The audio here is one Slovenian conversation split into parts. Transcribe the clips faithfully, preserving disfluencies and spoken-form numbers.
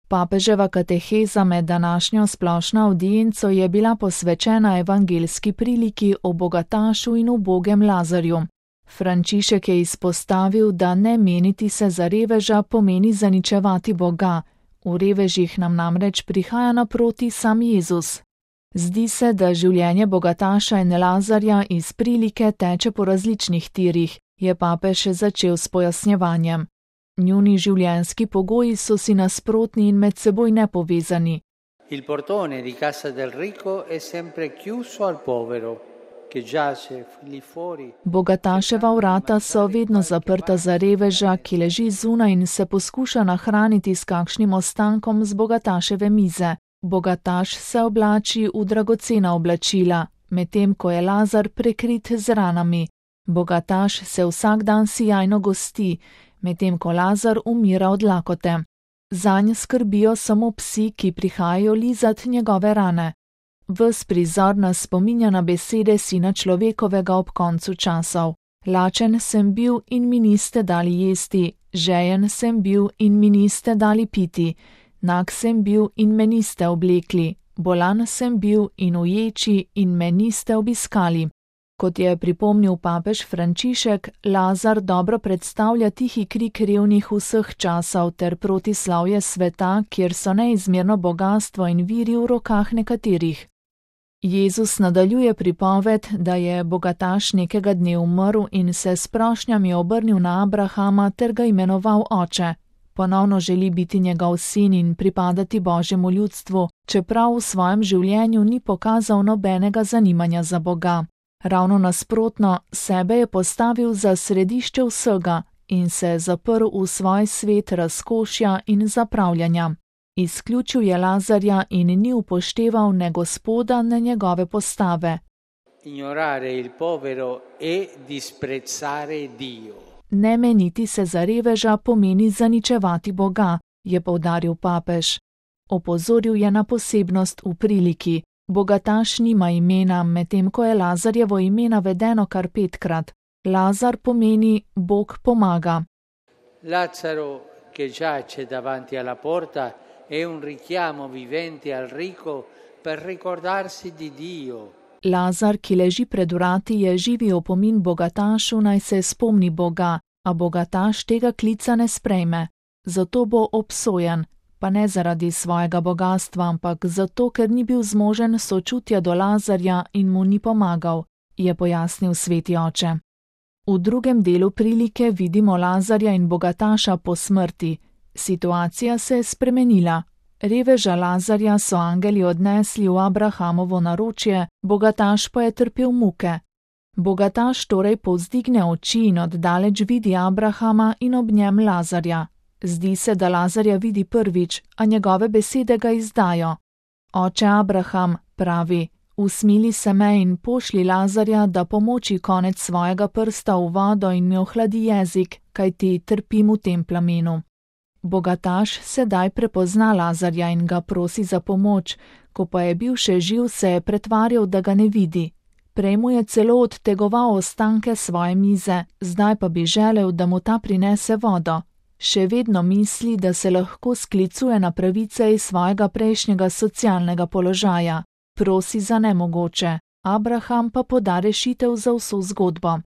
Papeževa kateheza med današnjo splošno avdienco je bila posvečena evangeljski priliki o bogatašu in ubogem Lazarju. Frančišek je izpostavil, da ne meniti se za reveža pomeni zaničevati Boga. V revežih nam namreč prihaja naproti sam Jezus. Zdi se, da življenje bogataša in Lazarja iz prilike teče po različnih tirih, je papež začel s pojasnjevanjem. Njuni življenjski pogoji so si nasprotni in med seboj nepovezani. Il portone di casa del ricco è sempre chiuso al povero, che giace lì fuori. Bogataševa vrata so vedno zaprta za reveža, ki leži zunaj in se poskuša nahraniti s kakšnim ostankom z bogataševe mize. Bogataš se oblači v dragocena oblačila, medtem ko je Lazar prekrit z ranami. Bogataš se vsak dan sijajno gosti, medtem ko Lazar umira od lakote. Zanj skrbijo samo psi, ki prihajajo lizat njegove rane. Ves prizor nas spominja na besede sina človekovega ob koncu časov. Lačen sem bil in mi niste dali jesti, žejen sem bil in mi niste dali piti, nag sem bil in me niste oblekli, bolan sem bil in uječi in me niste obiskali. Kot je pripomnil papež Frančišek, Lazar dobro predstavlja tihi krik revnih vseh časov ter protislavje sveta, kjer so neizmerno bogastvo in viri v rokah nekaterih. Jezus nadaljuje pripoved, da je bogataš nekega dne umrl in se s prošnjami obrnil na Abrahama ter ga imenoval oče. Ponovno želi biti njegov sin in pripadati Božjemu ljudstvu, čeprav v svojem življenju ni pokazal nobenega zanimanja za Boga. Ravno nasprotno, sebe je postavil za središče vsega in se zaprl v svoj svet razkošja in zapravljanja. Izključil je Lazarja in ni upošteval ne Gospoda, ne njegove postave. Ignorare il povero e disprezzare Dio. Ne meniti se za reveža pomeni zaničevati Boga, je poudaril papež. Opozoril je na posebnost v priliki. Bogataš nima imena, medtem ko je Lazarjevo ime navedeno kar petkrat. Lazar pomeni Bog pomaga. Lazaro, che giace davanti alla porta, è un richiamo vivente al ricco per ricordarsi di Dio. Lazar, ki leži pred vrati, je živi opomin bogatašu, naj se spomni Boga, a bogataš tega klica ne sprejme. Zato bo obsojen, pa ne zaradi svojega bogastva, ampak zato, ker ni bil zmožen sočutja do Lazarja in mu ni pomagal, je pojasnil sveti oče. V drugem delu prilike vidimo Lazarja in bogataša po smrti. Situacija se je spremenila. Reveža Lazarja so angeli odnesli v Abrahamovo naročje, bogataš pa je trpel muke. Bogataš torej povzdigne oči in oddaleč vidi Abrahama in ob njem Lazarja. Zdi se, da Lazarja vidi prvič, a njegove besede ga izdajo. Oče Abraham, pravi, usmili se me in pošli Lazarja, da pomoči konec svojega prsta v vodo in mi ohladi jezik, kajti trpim v tem plamenu. Bogataš sedaj prepozna Lazarja in ga prosi za pomoč, ko pa je bil še živ, se je pretvarjal, da ga ne vidi. Prej mu je celo odtegoval ostanke svoje mize, zdaj pa bi želel, da mu ta prinese vodo. Še vedno misli, da se lahko sklicuje na pravice iz svojega prejšnjega socialnega položaja. Prosi za nemogoče, Abraham pa poda rešitev za vso zgodbo.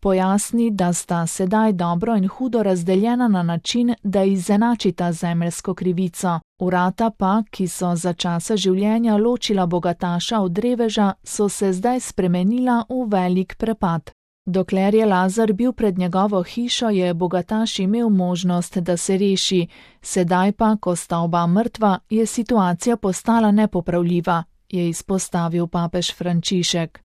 Pojasni, da sta sedaj dobro in hudo razdeljena na način, da izenačita zemeljsko krivico. Vrata pa, ki so za časa življenja ločila bogataša od reveža, so se zdaj spremenila v velik prepad. Dokler je Lazar bil pred njegovo hišo, je bogataš imel možnost, da se reši, sedaj pa, ko sta oba mrtva, je situacija postala nepopravljiva, je izpostavil papež Frančišek.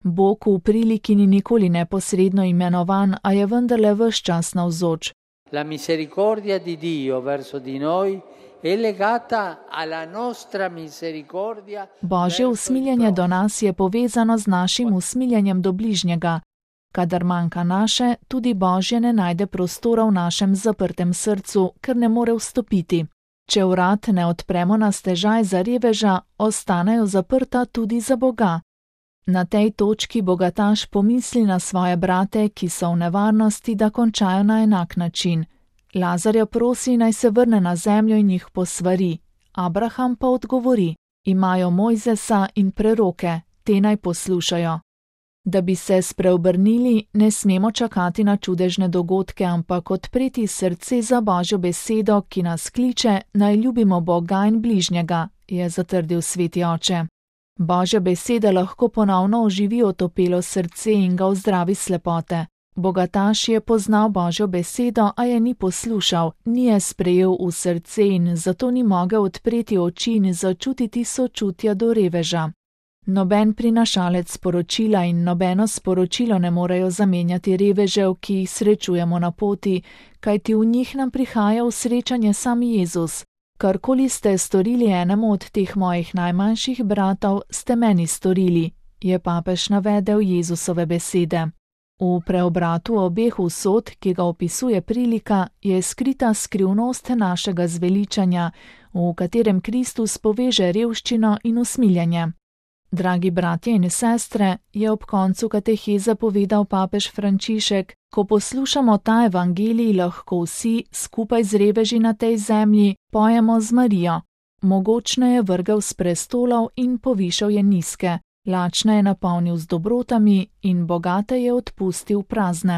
Bog v priliki ni nikoli neposredno imenovan, a je vendarle ves čas navzoč. La misericordia di Dio verso di noi è legata alla nostra misericordia. Božje usmiljenje do nas je povezano z našim usmiljenjem do bližnjega. Kadar manjka naše, tudi Božje ne najde prostora v našem zaprtem srcu, ker ne more vstopiti. Če vrat ne odpremo na stežaj za reveža, ostanejo zaprta tudi za Boga. Na tej točki bogataš pomisli na svoje brate, ki so v nevarnosti, da končajo na enak način. Lazarja prosi, naj se vrne na zemljo in jih posvari. Abraham pa odgovori: imajo Mojzesa in preroke, te naj poslušajo. Da bi se spreobrnili, ne smemo čakati na čudežne dogodke, ampak odpreti srce za Božjo besedo, ki nas kliče, naj ljubimo Boga in bližnjega, je zatrdil sveti oče. Božja beseda lahko ponovno oživi otopelo srce in ga ozdravi slepote. Bogataš je poznal Božjo besedo, a je ni poslušal, ni je sprejel v srce in zato ni mogel odpreti oči in začutiti sočutja do reveža. Noben prinašalec sporočila in nobeno sporočilo ne morejo zamenjati revežev, ki jih srečujemo na poti, kajti v njih nam prihaja v srečanje sam Jezus. Karkoli ste storili enemu od teh mojih najmanjših bratov, ste meni storili, je papež navedel Jezusove besede. V preobratu obeh usod, ki ga opisuje prilika, je skrita skrivnost našega zveličanja, v katerem Kristus poveže revščino in usmiljenje. Dragi bratje in sestre, je ob koncu kateheze povedal papež Frančišek, ko poslušamo ta evangelij, lahko vsi, skupaj z reveži na tej zemlji, pojemo z Marijo. Mogočne je vrgel s prestolov in povišal je nizke, lačne je napolnil z dobrotami in bogate je odpustil prazne.